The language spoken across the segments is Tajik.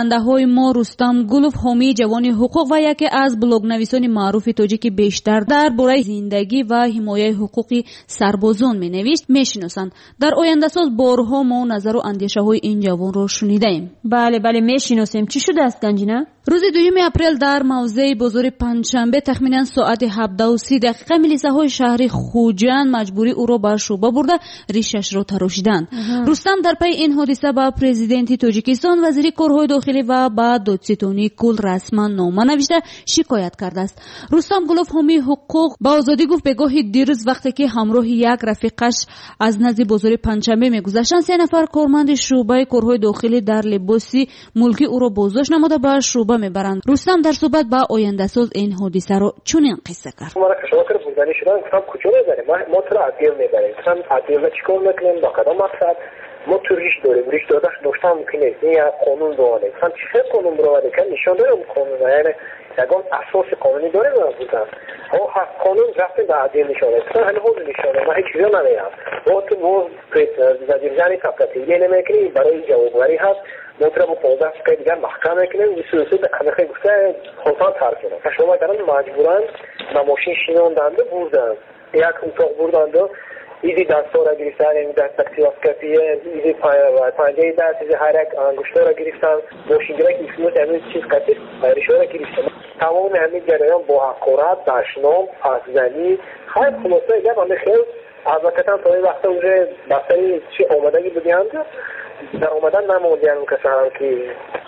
Шунавандаҳои мо Рустам Гулов, ҳомии ҷавони ҳуқуқ ва яке аз блогнависони маъруфи тоҷик, ки бештар дар бораи зиндагӣ ва ҳимояи ҳуқуқи сарбозон менавишт, мешиносанд. Дар Ояндасоз борҳо мо назару андешаҳои ин ҷавонро шунидаем. Бале, бале, мешиносем. Чӣ шудааст, Ганҷина? Рӯзи 2 апрел дар мавзеи бозори Панҷшанбе тахминан соати 17:30 милисаҳои шаҳри Хуҷанд маҷбурӣ ӯро ба шӯъба бурда, ришашро тарошиданд. Рустам дар пайи ин ҳодиса ба президенти Тоҷикистон, вазири корҳои дохилӣ ва ба додситонии кул расман нома навишта шикоят кардааст. Рустам Гулов, ҳомии ҳуқуқ, ба Озодӣ гуфт, бегоҳи дирӯз вақте ки ҳамроҳи як рафиқаш аз назди бозори Панҷшанбе мегузаштанд, се нафар корманди шӯъбаи корҳои дохилӣ дар либоси мулкӣ ӯро боздошт намуда ба шӯъба мебаранд. Рустам дар суҳбат ба Ояндасоз ин ҳодисаро чунин қисса кард. Маро кашола кард, бурданӣ шудам, гуфтам, куҷо мебарем? Мо туро отдел мебарем. Гуфтам, отдел чӣ кор мекунем, ба кадом мақсад? Мо ту риш дорем, риш доштан мумкин нест, ин як қонун бироварем. Гуфтам, чӣ хел қонун бироварем? Кам нишон дорем қонун, яъне ягон асоси қонунӣ дорем? Гуфтам, қонун рафтем ба отдел нишон. Гуфтам, ҳали ҳозир нишон, ман ҳеҷ чизо намеям. Мо ту боз задержание сопротивление намекунӣ, барои ҷавобгарӣ ҳаст, мо туро бо 15 дақиқаи дигар маҳкам мекунем. Ҳамихел гуфта хостан тарк кунам. Кашола карданд, маҷбуран ба мошин шинонданду бурданд, як утоқ бурданду изи дастҳоро гирифтан, яъне дактилоскопия, изи панҷаи даст, изи ҳар як ангуштҳоро гирифтан, мошингирак исмот ҳамин чиз қатӣ ришоро гирифтан. Тамоми ҳамин ҷараён бо ҳақорат, дашном, пасзанӣ. Хайр, хулосаи гап, ҳамин хел адвокатам то ин вақта уже ба сари чи омадагӣ будианд, дар омадан намондиям касаам ки.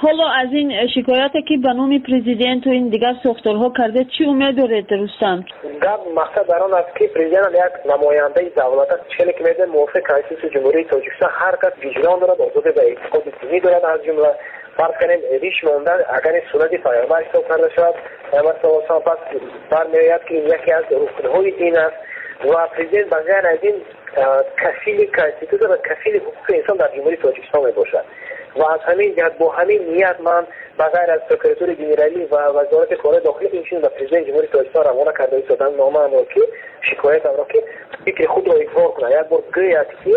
Ҳоло аз ин шикояте, ки ба номи президенту ин дигар сохторҳо кардед, чӣ умед доред, Рустам? Гап, мақсад дар он аст, ки президентам як намояндаи давлат аст. Хеле ки медонем, мувофиқи Конститутсияи Ҷумҳурии Тоҷикистон ҳар кас виҷдон дорад, озодӣ ва эътиқоди динӣ дорад. Аз ҷумла, фарз кунем, риш мондан агар ин суннати Паёмбар ҳисоб карда шавад, Паёмбар саллаллоҳу алайҳи васаллам, пас бармеояд, ки ин яке аз рукнҳои дин аст ва президент ба ғайр аз ин кафили конститутсия ва кафили ҳуқуқи инсон дар Ҷумҳурии Тоҷикистон мебошад. Ва аз ҳамин ҷиҳат, бо ҳамин ният ман ба ғайр аз Прокуратураи генералӣ ва Вазорати корҳои дохилӣ инчунин ба президенти Ҷумҳурии Тоҷикистон равона карда истодам номаамро, ки шикоятамро, ки фикри худро изҳор кунад, як бор гӯяд, ки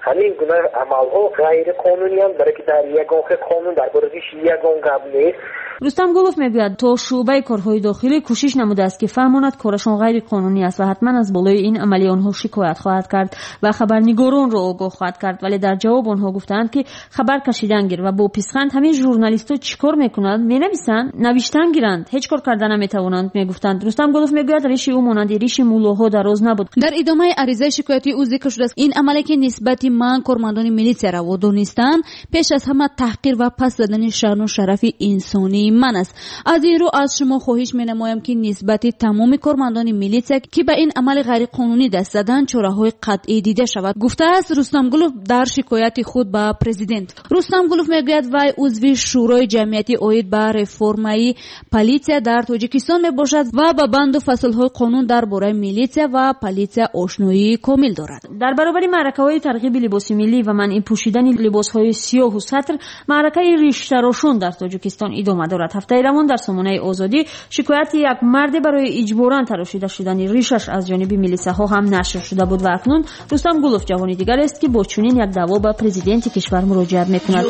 ҳамин гуна амалҳо ғайриқонуниянд, барое ки дар ягон хел қонун дар бораи риш ягон гап нест. Рустам Гулов мегӯяд, то шӯъбаи корҳои дохилӣ кӯшиш намудааст, ки фаҳмонад, корашон ғайриқонунӣ аст ва ҳатман аз болои ин амали онҳо шикоят хоҳад кард ва хабарнигоронро огоҳ хоҳад кард, вале дар ҷавоб онҳо гуфтаанд, ки хабар кашидан гир ва бо писханд ҳамин журналистҳо чӣ кор мекунанд, менависанд, навиштан гиранд, ҳеҷ кор карда наметавонанд, мегуфтанд. Рустам Гулов мегӯяд, риши ӯ монанди риши муллоҳо дароз набуд. Дар идомаи аризаи шикоятии ӯ зикр шудааст, ин амале, ки нисбати ман кормандони милитсия раво донистанд, пеш аз ҳама таҳқир ва паст задани шаъну шарафи инсонии ман аст. Аз ин рӯ аз шумо хоҳиш менамоям, ки нисбати тамоми кормандони милитсия, ки ба ин амали ғайриқонунӣ даст заданд, чораҳои қатъӣ дида шавад, гуфтааст Рустам Гулов дар шикояти худ ба президент. Рустам Гулов мегӯяд, вай узви Шӯрои ҷамъиятӣ оид ба реформаи политсия дар Тоҷикистон мебошад ва ба банду фаслҳои қонун дар бораи милитсия ва политсия ошноии комил дорад. Дар баробари маъракаҳои тарғиби либоси миллӣ ва манъи пӯшидани либосҳои сиёҳу сатр, маъракаи риштарошон дар Тоҷикистон идома дорад. Ҳафтаи равон дар сомонаи Озодӣ шикояти як марде барои иҷборан тарошида шудани ришаш аз ҷониби милисаҳо ҳам нашр шуда буд ва акнун Рустам Гулов ҷавони дигарест, ки бо чунин як даъво ба президенти кишвар муроҷиат мекунад.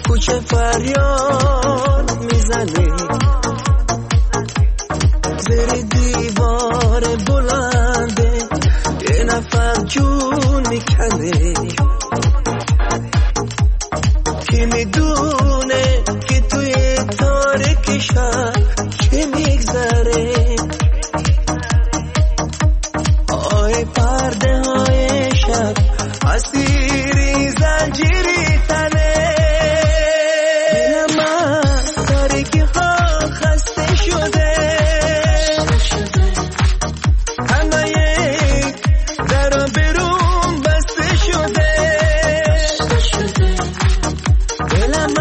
Кӯча фарёд мезанӣ, зери девори баланде یه نفر جون میکنه. کی میدونه که توی تاریک شب چه میگذره؟ آی پرده های شب، اسیری زنجیری تنه. دلم از تاریکی ها خسته شده، همه درا برون بسته شده. دلم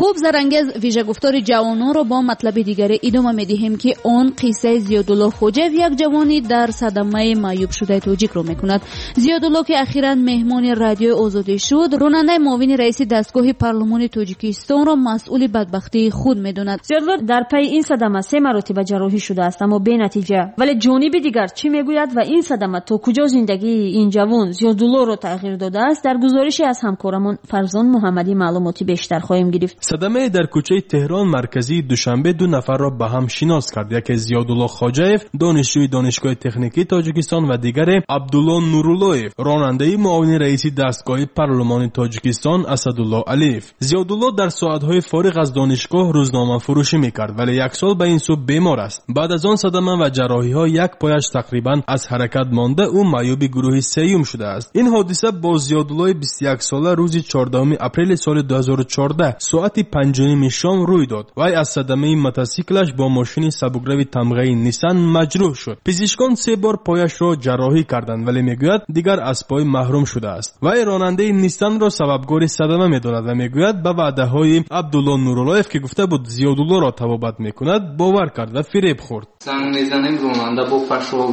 Хуб, Зарангез, вижагуфтори ҷавононро бо матлаби дигаре идома медиҳем, ки он қиссаи Зиёдулло Хоҷаев, як ҷавони дар садамаи маъюбшудаи тоҷикро мекунад. Зиёдулло, ки ахиран меҳмони Радиои Озодӣ шуд, ронандаи муовини раиси дастгоҳи парлумони Тоҷикистонро масъули бадбахтии худ медонад. Зиёдулло дар пайи ин садама се маротиба ҷарроҳӣ шудааст, аммо бенатиҷа. Вале ҷониби дигар чӣ мегӯяд ва ин садама то куҷо зиндагии ин ҷавон Зиёдуллоро тағйир додааст, дар гузорише аз ҳамкорамон Фарзон Муҳаммадӣ маълумоти бештар хоҳем гирифт. Садамае дар кӯчаи Теҳрон, марказии Душанбе, ду нафарро ба ҳам шинос кард. Яке Зиёдулло Хоҷаев, донишҷӯи Донишгоҳи техникии Тоҷикистон, ва дигаре Абдулло Нуруллоев, ронандаи муовини раиси дастгоҳи парлумони Тоҷикистон Асадулло Алиев. Зиёдулло дар соатҳои фориғ аз донишгоҳ рӯзномафурӯшӣ мекард, вале як сол ба ин сӯ бемор аст. Баъд аз он садама ва ҷарроҳиҳо як пояш тақрибан аз ҳаракат монда, ӯ маъюби гурӯҳи сеюм шудааст. Ин ҳодиса бо Зиёдуллои 21сола рӯзи 14 апрели соли 2014 соати 5:30 шом рӯй дод. Вай аз садамаи мотосиклаш бо мошини сабукрави тамғаи Нисан маҷрӯҳ шуд. Пизишкон се бор пояшро ҷарроҳӣ карданд, вале мегӯяд, дигар аз пой маҳрум шудааст. Вай ронандаи Нисанро сабабгори садама медонад ва мегӯяд, ба ваъдаҳои Абдулло Нуруллоев, ки гуфта буд Зиёдуллоро табобат мекунад, бовар кард ва фиреб хӯрд. Занг мезанем, ронанда бо пашол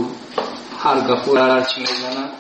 ҳар гапо ҳарчи мезанад,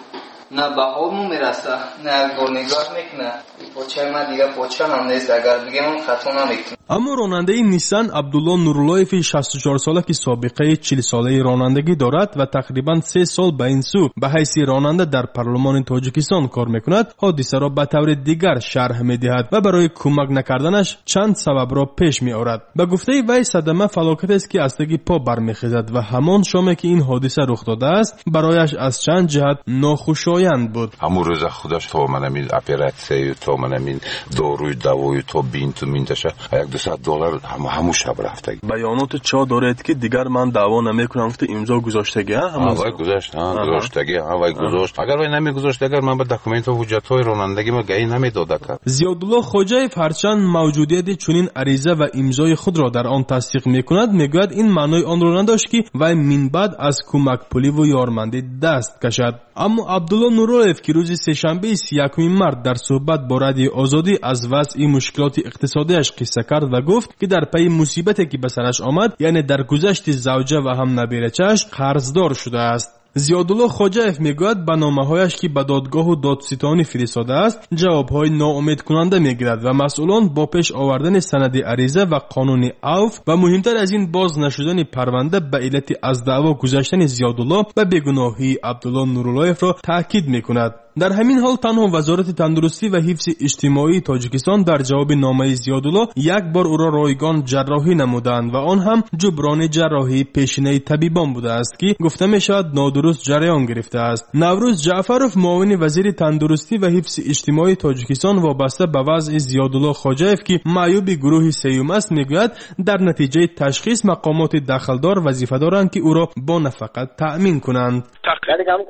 на ба ҳолмон мераса, на як бор нигоҳ мекунад. Почаи ман дигар поча ҳам нест, агар бигем хато намекунам. Аммо ронандаи Нисан Абдулло Нуруллоеви 64сола, ки собиқаи 40солаи ронандагӣ дорад ва тақрибан се сол ба ин сӯ ба ҳайси ронанда дар парлумони Тоҷикистон кор мекунад, ҳодисаро ба таври дигар шарҳ медиҳад ва барои кӯмак накарданаш чанд сабабро пеш меорад. Ба гуфтаи вай, садама фалокатест, ки аз таги по бармехезад ва ҳамон шоме, ки ин ҳодиса рух додааст, барояш аз чанд ҷиҳат нохушоянд буд. Ҳамун рӯза худаш то манамин оператсияю, то манамин дорую давою, то бинту минташа як $200 ҳамун шаб рафтаги. Баёноти чо доред, ки дигар ман даъво намекунам, гуфта имзо гузоштаги? Вай гузошт, гузоштаги, вай гузошт. Агар вай намегузошт, агар ман ба документҳо, ҳуҷҷатҳои ронандагӣ ма гаи намедода кард. Зиёдулло Хоҷаев ҳарчанд мавҷудияти чунин ариза ва имзои худро дар он тасдиқ мекунад, мегӯяд, ин маънои онро надошт, ки вай минбаъд аз кӯмакпуливу ёрмандӣ даст кашад. Аммо Абдулло Нуруллоев, ки рӯзи сешанбеи 31 март дар суҳбат бо Радиои Озодӣ аз вазъи мушкилоти иқтисодиаш қисса кард ва гуфт, ки дар пайи мусибате, ки ба сараш омад, яъне дар гузашти завҷа ва ҳам набирачааш, қарздор шудааст. Зиёдулло Хоҷаев мегӯяд, ба номаҳояш, ки ба додгоҳу додситонӣ фиристодааст, ҷавобҳои ноумедкунанда мегирад ва масъулон бо пеш овардани санади ариза ва қонуни авф ва муҳимтар аз ин боз нашудани парванда ба иллати аз даъво гузаштани Зиёдулло ба бегуноҳии Абдулло Нуруллоевро таъкид мекунад. Дар ҳамин ҳол танҳо Вазорати тандурустӣ ва ҳифзи иҷтимоии Тоҷикистон дар ҷавоби номаи Зиёдулло як бор ӯро ройгон ҷарроҳӣ намуданд ва он ҳам ҷуброни ҷарроҳии пешинаи табибон будааст, ки гуфта мешавад нодуруст ҷараён гирифтааст. Наврӯз Ҷаъфаров, муовини вазири тандурустӣ ва ҳифзи иҷтимоии Тоҷикистон, вобаста ба вазъи Зиёдулло Хоҷаев, ки маъюби гурӯҳи сеюм аст, мегӯяд, дар натиҷаи ташхис мақомоти дахлдор вазифа доранд, ки ӯро бо нафақа таъмин кунанд. Яъне ҳамун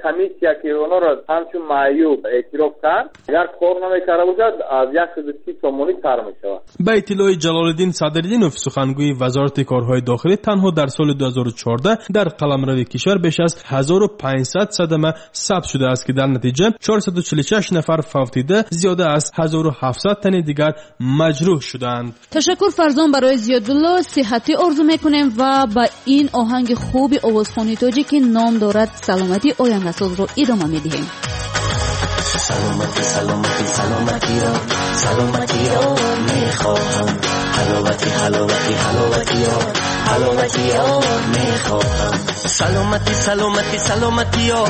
комиссия, ки онҳоро ҳамчун маъюб эътироф кард, агар кор намекарда бошад, аз 130 сомонӣ сар мешавад. Ба иттилои Ҷалолиддин Садриддинов, сухангӯи Вазорати корҳои дохилӣ, танҳо дар соли 2014 дар қаламрави кишвар беш аз 1500 садама сабт шудааст, ки дар натиҷа 446 нафар фавтида, зиёда аз 1700 тани дигар маҷрӯҳ шуданд. Ташаккур, Фарзон. Барои Зиёдулло сиҳатӣ орзу мекунем ва ба ин оҳанги хуби овозхони тоҷик, ки ном дорад «Саломатӣ ояндасозро», идома медиҳем. Саломатӣ, саломатӣ, саломатиро, саломатиро мехоҳам. Ҳаловатӣ, ҳаловатӣ, ҳаловатиро, ҳаловатиро мехоҳам. Саломатӣ, саломатӣ, саломатиё,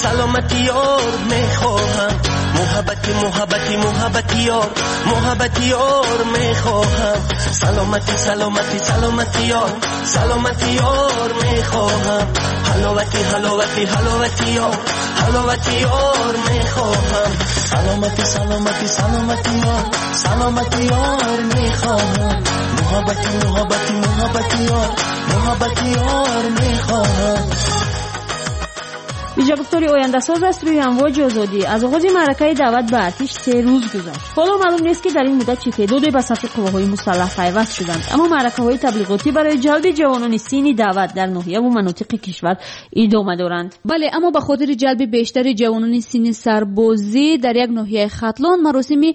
саломатиёр мехоҳам. Муҳаббати, муҳаббати, муҳаббатиёр, муҳаббатиёр мехоҳам. Саломатӣ, саломатӣ, саломатиёр, саломатиёр мехоҳам. Ҳаловатӣ, ҳаловатӣ, ҳаловатиёр, ҳаловатиёр мехоҳам. Саломатӣ, саломатӣ, саломатиёр, саломатиёр мехоҳам. Муҳаббати, муҳаббати, муҳаббатиёр, муҳаббатиёр мехоҳам. Вижагуфтори ояндасоз аст рӯи амвоҷи озодӣ. Аз оғози маъракаи даъват ба артиш 3 рӯз гузашт. Ҳоло маълум нест, ки дар ин муддат чӣ теъдоде ба сафи қувваҳои мусаллаҳ пайваст шуданд, аммо маъракаҳои таблиғотӣ барои ҷалби ҷавонони синни даъват дар ноҳияву манотиқи кишвар идома доранд. Бале, аммо ба хотири ҷалби бештари ҷавонони синни сарбозӣ дар як ноҳияи Хатлон маросими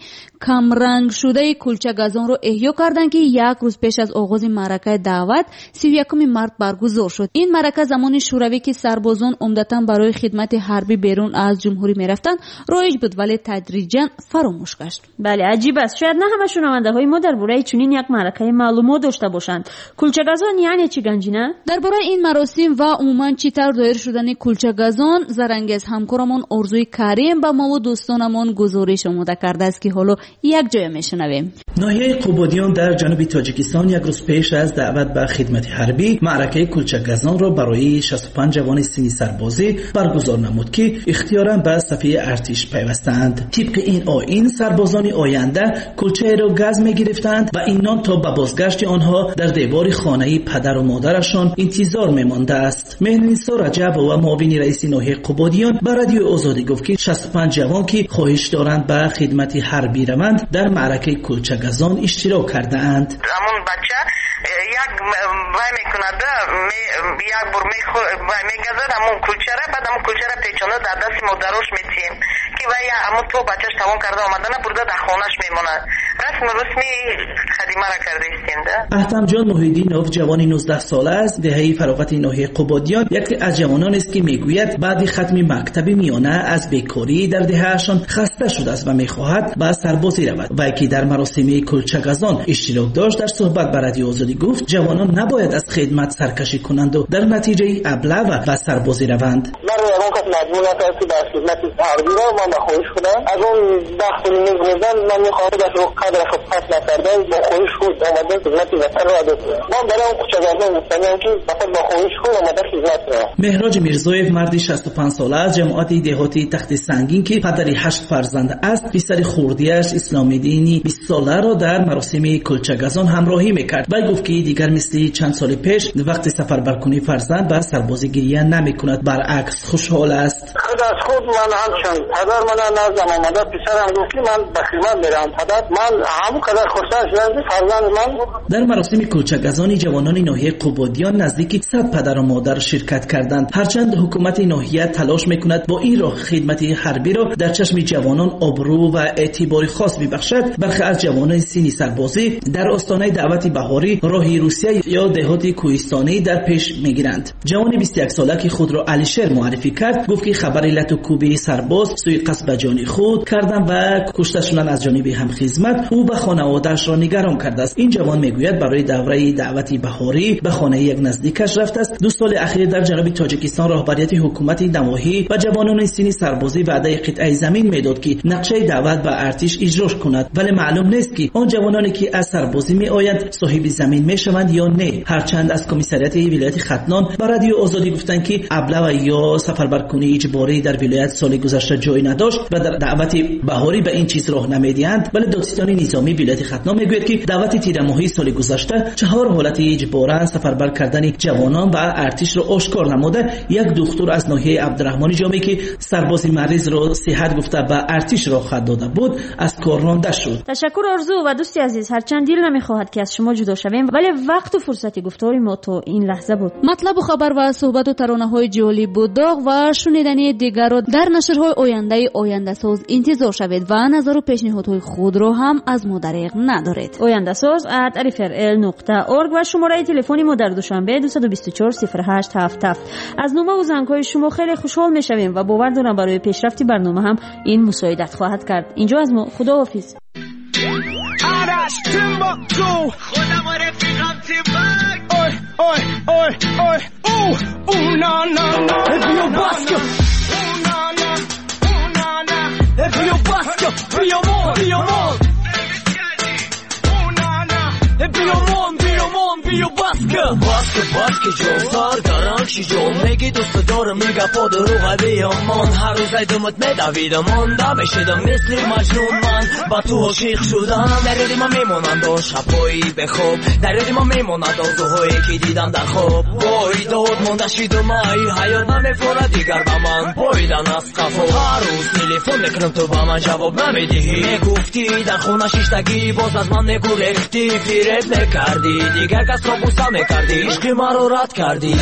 камрангшудаи кулчагазонро эҳё карданд, ки як рӯз пеш аз оғози маъракаи даъват 31 март баргузор шуд. Ин маърака замони шӯравӣ, ки сарбозон умдатан барои хидмати ҳарбӣ берун аз ҷумҳурӣ мерафтанд, роиҷ буд, вале тадриҷан фаромӯш гашт. Бале, аҷиб аст. Шояд на ҳама шунавандаҳои мо дар бораи чунин як маъракаи маълумот дошта бошанд. Кулчагазон яъне чӣ, Ганҷина? Дар бораи ин маросим ва умуман чӣ тавр доир шудани кулчагазон Зарангез ҳамкорамон Орзуи Карим ба мову дӯстонамон гузориш омода кардааст, ки ҳоло якҷоя мешунавем. Ноҳияи Қубодиён дар ҷануби Тоҷикистон як рӯз пеш аз даъват ба хидмати ҳарбӣ маъракаи кулчагазонро барои 65 ҷавони синни сарбозӣ баргузор намуд, ки ихтиёран ба сафи артиш пайвастаанд. Тибқи ин оин сарбозони оянда кулчаеро газ мегирифтанд ва ин нон то ба бозгашти онҳо дар девори хонаи падару модарашон интизор мемондааст. Меҳринисо Раҷабова, муовини раиси ноҳияи Қубодиён, ба Радиои Озодӣ гуфт, ки 65 ҷавон, ки хоҳиш доранд ба хидмати ҳарбӣ раванд, дар маъракаи кулчагазон иштирок кардаанд. Ҳамон бача як вай мекунад, як бор вай мегазад ҳамон кулчара, баъд ҳамон кулчара печонда дар дасти модарош метиҳем, ки вай ҳамон то бачаш тамом карда омадана бурда дар хонаш мемонад. Расму русми хадимара карда истем да. Аҳтамҷон Муҳиддинов ҷавони 19 сола аст, деҳаи фароғати ноҳияи Қубодиён, яке аз ҷавононест, ки мегӯяд баъди хатми мактаби миёна аз бекорӣ дар деҳаашон хаста шудааст ва мехоҳад ба сарбозӣ равад. Вай, ки дар маросими кулчагазон иштирок дошт, дар суҳбат ба Радиои Озодӣ гуфт, ҷавонон набояд аз хидмат саркашӣ кунанду дар натиҷаи аблава ба сарбозӣ раванд. Маро ягон кас маҷбур накард, ки дар хидмати ҳарбӣ равам. Ман ба хоҳиш худам аз он 10 соли мегузарам, ман мехоҳам дастро қадрашро пас накарда бо хоҳиш худ омада хидмати ватанро адо кунам. Ман барои он кӯчагардон гуфтаниям, ки фақат бо хоҳиш худ омада хидмат кунам. Меҳроҷ Мирзоев марди 65 сола аз ҷамоати деҳоти Тахти Сангин, ки падари 8 фарзанд аст, писари хурдиаш Исломиддини 20 соларо дар маросими кулчагазон ҳамроҳӣ мекард. Вай гуфт, ки дигар мисли чанд соли пеш вақти сафарбаркунии фарзанд ба сарбозӣ гирия намекунад, баръакс хушҳол аст. Худ аз худ ман ҳамчун падар мана наздам омада писарам гуфт, ки ман ба хидмат меравам. Падар, ман ҳамон қадар хурсанд шудам, ки фарзанди ман. Дар маросими кулчагазони ҷавонони ноҳияи Қубодиён наздики 100 падару модар ширкат карданд. Ҳарчанд ҳукумати ноҳия талош мекунад бо ин роҳ хидмати ҳарбиро дар чашми ҷавонон обрӯ ва эътибори хос бибахшад, бархе аз ҷавонони синни сарбозӣ дар остонаи даъвати баҳорӣ роҳи Русия ё деҳоти кӯҳистонӣ дар пеш мегиранд. Ҷавони 21 сола, ки худро Алишер муаррифӣ кард, гуфт, ки хабари лату кӯби сарбоз суиқасд ба ҷони худ кардан ва кушта шудан аз ҷониби ҳамхизмат ӯ ба хонаводаашро нигарон кардааст. Ин ҷавон мегӯяд, барои давраи даъвати баҳорӣ ба хонаи як наздикаш рафтааст. 2 соли ахир дар ҷануби Тоҷикистон роҳбарияти ҳукумати навоҳӣ ба ҷавонони синни сарбозӣ ваъдаи қитъаи замин медод, ки нақшаи даъват ба артиш иҷро кунад, вале маълум нест, ки он ҷавононе, ки аз сарбозӣ меоянд, соҳиби замин мешаванд ё не. Ҳарчанд аз комиссариати вилояти Хатлон ба Радиои Озодӣ гуфтанд, ки аблава ё сафарбаркунии иҷборӣ дар вилоят соли гузашта ҷой надошт ва дар даъвати баҳорӣ ба ин чиз роҳ намедиҳанд, вале додситони низомии вилояти Хатлон мегӯяд, ки даъвати тирамоҳии соли гузашта 4 ҳолати иҷборан сафарбар кардани ҷавонон ба артишро ошкор намуда, як духтур аз ноҳияи Абдураҳмони Ҷомӣ, ки сарбози маризро сиҳат гуфта ба артиш роҳ хат дода буд, аз кор ронда шуд. Ташаккур, Орзу ва дӯсти азиз. Ҳарчанд дил намехоҳад, ки аз шумо ҷудо шавем, вале вақту фурсати гуфтори мо то ин лаҳза буд. Матлабу хабар ва суҳбату таронаҳои ҷолибу доғ ва шунидани дигарро дар нашрҳои ояндаи Ояндасоз интизор шавед ва назару пешниҳодҳои худро ҳам аз мо дариғ надоред. Ояндасоз @rfrl.org ва шумораи телефони мо дар Душанбе 224 08 77. Аз номаву зангҳои шумо хеле хушҳол мешавем ва бовар дорам, барои пешрафти барнома ҳам ин мусоидат хоҳад кард. Инҷо аз мо худоҳофиз. آرش تیمباکتو خودم و رفیقم تیمباک اوی اوی اوی اوی او او نا نا نا بیو باسکو او نا نا او نا نا بیو باسکو بیو مون بیو مون او نا نا بیو مون بیو مون. биё баска. Баска, баска ҷон, сар гаранг ши ҷон. Меги дӯст дорам, ин гапо дурӯға биёмон. Ҳар рӯз айдумат медавидам, монда мешидам мисли маҷнун. Ман ба ту ошиқ шудам. Дар ёди ман мемонанд он шабҳои бехоб, дар ёди ман мемонанд орзуҳое ки дидам дар хоб. Вой дод монда шидум, ай ҳаёт намефорад дигар ба ман поидан аз қафо. Ҳар рӯз телефон мекунам, ту ба ман ҷавоб намедиҳӣ. Мегуфтӣ дар хона шиштагӣ, боз аз ман мегурехтӣ, фиреб мекардӣ, дигар касро бӯса мекардӣ, ишқи маро рад кардӣ.